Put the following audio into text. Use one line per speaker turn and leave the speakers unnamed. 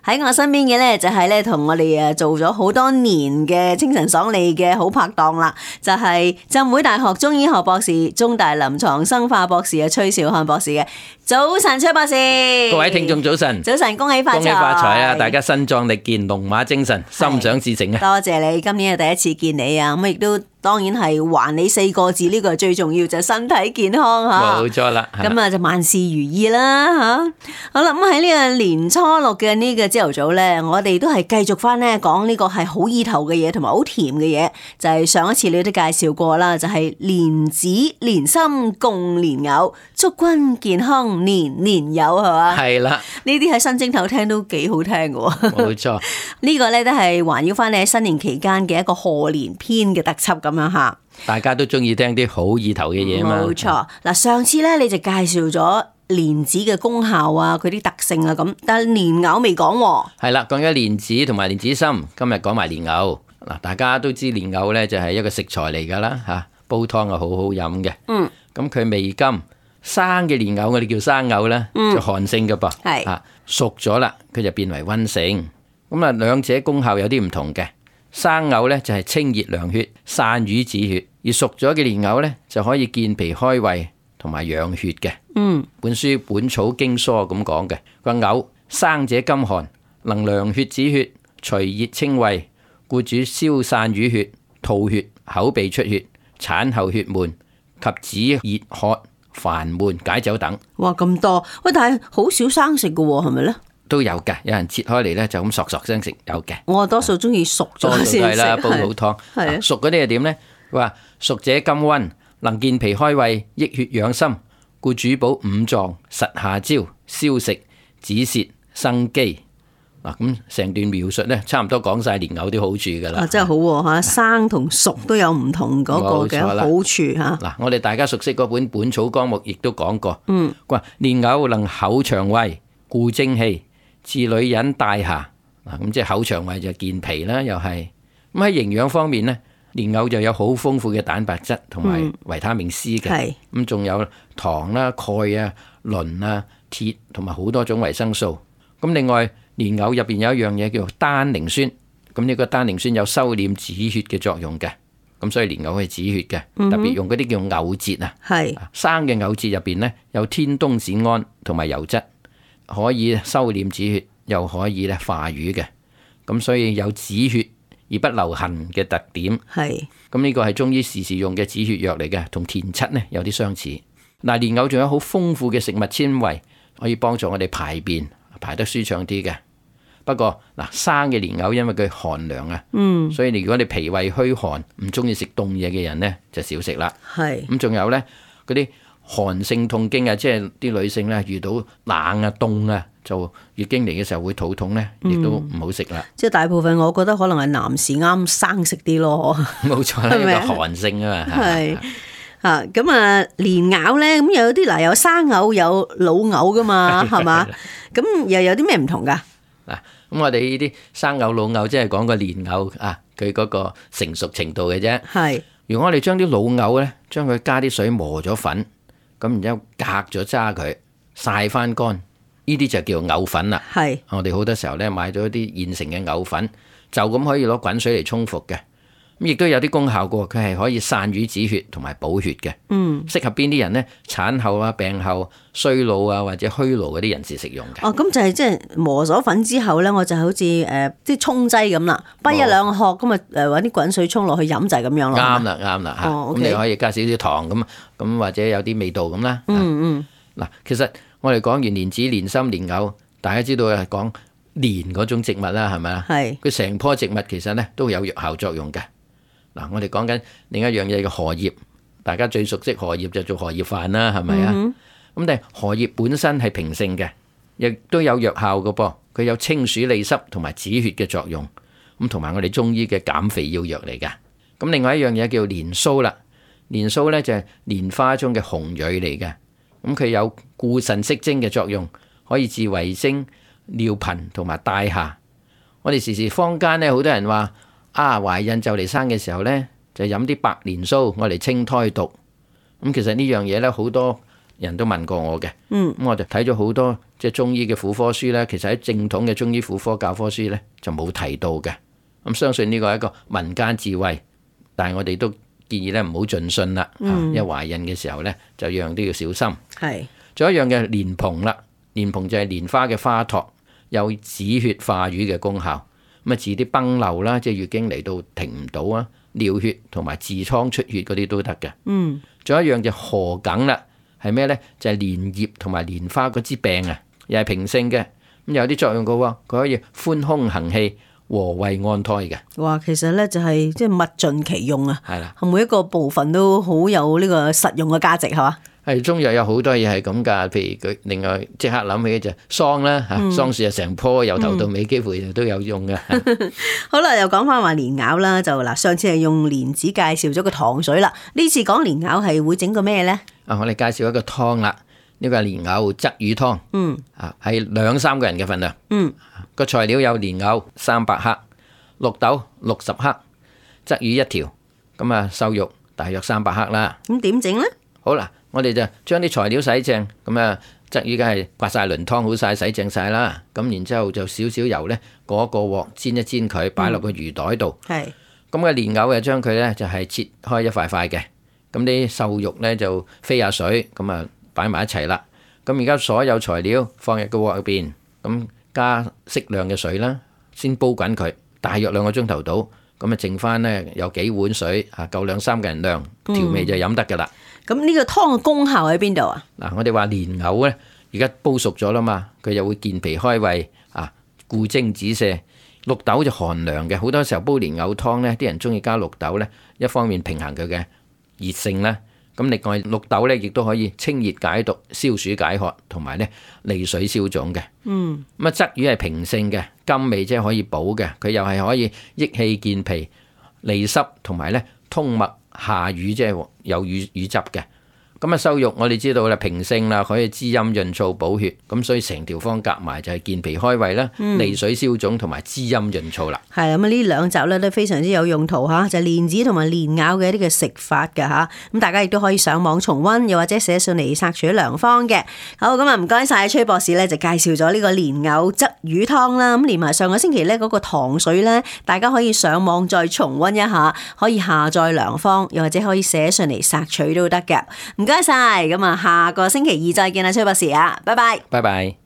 喺我身邊嘅咧就係咧同我哋做咗好多年嘅清晨爽利嘅好拍檔啦，就係浸會大學中醫學博士、中大臨床生化博士嘅崔兆漢博士嘅。早晨，崔博士，
各位聽眾早晨，
早晨，恭喜發財，
恭喜發財啊！大家身壯力健，龍馬精神，心想事成啊！
多謝你，今年係第一次見你啊，咁亦都當然係還你4個字，呢個係最重要，就係身體健康吓。
冇錯啦，
咁啊就萬事如意啦吓。好啦，咁喺呢個年初6嘅呢個朝頭早咧，我哋都係繼續翻咧講呢個係好意頭嘅嘢，同埋好甜嘅嘢，就係上一次你都介紹過啦，就係蓮子蓮心共蓮藕，祝君健康年年有，係嘛？
係啦，
呢啲喺新正頭聽都幾好聽嘅喎。
冇錯，
呢個咧都係環繞翻你喺新年期間嘅一個賀年篇嘅特輯咁樣吓。
大家都中意聽啲好意頭嘅嘢嘛。
冇錯，嗱，上次咧你就介紹咗蓮子嘅功效啊，佢啲特性啊咁，但係蓮藕未講喎。
係啦，講咗蓮子同埋蓮子心，今日講埋蓮藕。嗱，大家都知蓮藕咧就係一個食材嚟噶啦吓，煲湯啊好好飲嘅。嗯。咁佢味甘，生嘅蓮藕我哋叫生藕啦，就寒性嘅噃。係。啊，熟咗啦，佢就變為溫性。咁啊，兩者功效有啲唔同嘅。生藕咧就係清熱涼血、散瘀止血，而熟咗嘅蓮藕咧就可以健脾開胃同埋養血嘅。本書《本草經疏》咁講嘅，個藕生者甘寒，能涼血止血、除熱清胃，故主消散瘀血、吐血、口鼻出血、產後血悶及止熱渴、煩悶、解酒等。
哇，咁多喂，但係好少生食嘅喎，係咪咧？
都有嘅，有人切開嚟咧就咁索索聲食，有嘅。
我多數中意熟咗先食，
煲好湯。係熟嗰啲係點咧？佢話熟者甘溫，能健脾開胃、益血養心，故主補五臟、實下焦、消食、止瀉、生肌。嗱，咁成段描述咧，差唔多講晒蓮藕啲好處噶啦。
啊，真係好喎嚇，生同熟都有唔同嗰個嘅好處嚇。
嗱，我哋大家熟悉嗰本《本草綱目》亦都講過。佢話蓮藕能厚腸胃、固精氣、治女人帶下。嗱，咁即係厚腸胃就健脾啦，又係。咁喺營養方面咧，蓮藕就有好豐富嘅蛋白質同埋維他命 C 嘅。咁仲有糖啦、鈣啊、磷啊、鐵同埋好多種維生素。咁另外蓮藕入邊有一樣嘢叫做單寧酸。咁呢個單寧酸有收斂止血嘅作用嘅。咁所以蓮藕係止血嘅，特別用嗰啲叫藕節啊。生嘅藕節入邊咧有天冬酰胺同埋油質，可以收斂止血，又可以咧化瘀嘅。咁所以有止血而不留痕嘅特點。咁呢個係中醫時時用嘅止血藥嚟嘅，同田七咧有啲相似。嗱，蓮藕仲有好豐富嘅食物纖維，可以幫助我哋排便排得舒暢啲嘅。不過嗱，生嘅蓮藕因為佢寒涼啊，所以如果你脾胃虛寒，唔中意食凍嘢嘅人咧，就少食啦。咁仲有咧嗰啲寒性痛經啊，即係啲女性咧遇到冷啊凍啊，就月經嚟嘅時候會肚痛咧，亦都唔好食啦。
即係大部分我覺得可能係男士啱生食啲咯。
冇錯啦，呢個寒性啊嘛。
係啊，咁啊蓮藕咧，咁有啲嗱，有生藕有老藕噶嘛，係嘛？咁又有啲咩唔同噶？
嗱，咁我哋呢啲生藕老藕，即係講個蓮藕啊，佢嗰個成熟程度嘅啫。如果我哋將啲老藕咧，將佢加啲水磨咗粉，咁然之後隔咗渣佢，曬翻乾，呢啲就叫藕粉啦。我哋好多時候咧買咗啲現成嘅藕粉，就咁可以攞滾水嚟沖服嘅。咁亦都有啲功效嘅，佢係可以散瘀止血同埋補血嘅。適合邊啲人呢？產後啊、病後、衰老啊或者虛勞嗰啲人士食用嘅。
咁就係即係磨咗粉之後咧，我就好似啲沖劑咁啦，不一兩殼咁啊揾啲滾水沖落去飲就係咁樣咯。
啱啦，啱啦嚇。咁你可以加少少糖咁或者有啲味道咁啦。嗱，其實我哋講完蓮子、蓮心、蓮藕，大家知道係講蓮嗰種植物啦，係咪啊？佢成棵植物其實咧都有藥效作用嘅。嗱，我哋講緊另一樣嘢嘅荷葉，大家最熟悉荷葉就做荷葉飯啦，係咪啊？咁但係荷葉本身係平性嘅，亦都有藥效嘅噃，佢有清暑利濕同埋止血嘅作用，咁同埋我哋中醫嘅減肥要藥嚟㗎。咁另外一樣嘢叫蓮鬚啦，蓮鬚咧就係蓮花中嘅紅蕊嚟嘅，咁佢有固腎息精嘅作用，可以治遺精、尿頻同埋帶下。我哋時時坊間咧好多人話，懷孕就嚟生嘅時候呢，就飲啲白蓮鬚，我嚟清胎毒。咁其實呢樣嘢呢，好多人都問過我嘅。
嗯，
咁我就睇咗好多即係中醫嘅婦科書呢，其實喺正統嘅中醫婦科教科書呢，就冇提到嘅。咁相信呢個係一個民間智慧，但係我哋都建議咧唔好盡信啦。因為懷孕嘅時候呢，就樣樣都要小心。
係。
仲有一樣嘅蓮蓬啦，蓮蓬就係蓮花嘅花托，有止血化瘀嘅功效。咁啊治啲崩漏啦，即係月經嚟到停唔到啊，尿血同埋痔瘡出血嗰啲都得嘅。
嗯，
仲有一樣就桔梗啦，係咩呢？就係蓮葉同埋蓮花嗰支病啊，又係平性嘅，咁有啲作用嘅喎，佢可以寬胸行氣、和胃安胎嘅。
哇，其實咧就係即係物盡其用啊，
係啦，
每一個部分都好有呢個實用嘅價值，係嘛？
係中藥有好多嘢係咁㗎，譬如佢另外即刻諗起就桑啦嚇，桑樹啊成棵由頭到尾幾乎都有用嘅。
好啦，又講翻話蓮藕啦，就嗱上次係用蓮子介紹咗個糖水啦，呢次講蓮藕係會整個咩咧？
啊，我哋介紹一個湯啦，呢個係蓮藕鯽魚湯。啊係2-3個人嘅份量。個材料有蓮藕300克、綠豆60克、鯽魚1條，咁啊瘦肉大約300克啦。
咁點整咧？
好啦，我哋就將啲材料洗淨，咁啊鯽魚梗係刮晒鱗湯好晒，洗淨晒啦。咁然之後就少少油呢，過一個鑊煎一煎佢，擺落個魚袋度。
係。
咁嘅蓮藕就將佢呢，就係切開一塊塊嘅，咁啲瘦肉呢，就飛下水，咁啊擺埋一齊啦。咁而家所有材料放入個鑊入邊，咁加適量嘅水啦，先煲滾佢，大約2個鐘頭到。咁啊剩翻呢，有幾碗水啊，夠2-3個人量，調味就飲得噶啦。
咁呢個湯嘅功效喺邊度啊？
嗱，我哋話蓮藕咧，而家煲熟咗啦嘛，佢又會健脾開胃啊，固精止瀉。綠豆就寒涼嘅，好多時候煲蓮藕湯咧，啲人中意加綠豆咧，一方面平衡佢嘅熱性啦，咁另外綠豆咧亦都可以清熱解毒、消暑解渴，同埋咧利水消腫嘅。咁啊，鯽魚係平性嘅，甘味即係可以補嘅，佢又係可以益氣健脾、利濕，同埋咧通脈下瘀，即係有瘀汁嘅。咁啊，瘦肉我哋知道啦，平性啦，可以滋陰潤燥補血，咁所以成條方夾埋就係健脾開胃啦，利水消腫同埋滋陰潤燥啦。
係咁啊，呢兩集咧都非常之有用途嚇，就係蓮子同埋蓮藕嘅一啲嘅食法㗎嚇。咁大家亦都可以上網重溫，又或者寫信嚟索取良方嘅。好，咁啊唔該晒崔博士咧，就介紹咗呢個蓮藕鯽魚湯啦。咁連埋上個星期咧嗰個糖水咧，大家可以上網再重溫一下，可以下載良方，又或者可以寫信嚟索取都得嘅。唔該晒，咁啊，下個星期二再見啦，崔博士啊，拜拜。
拜拜。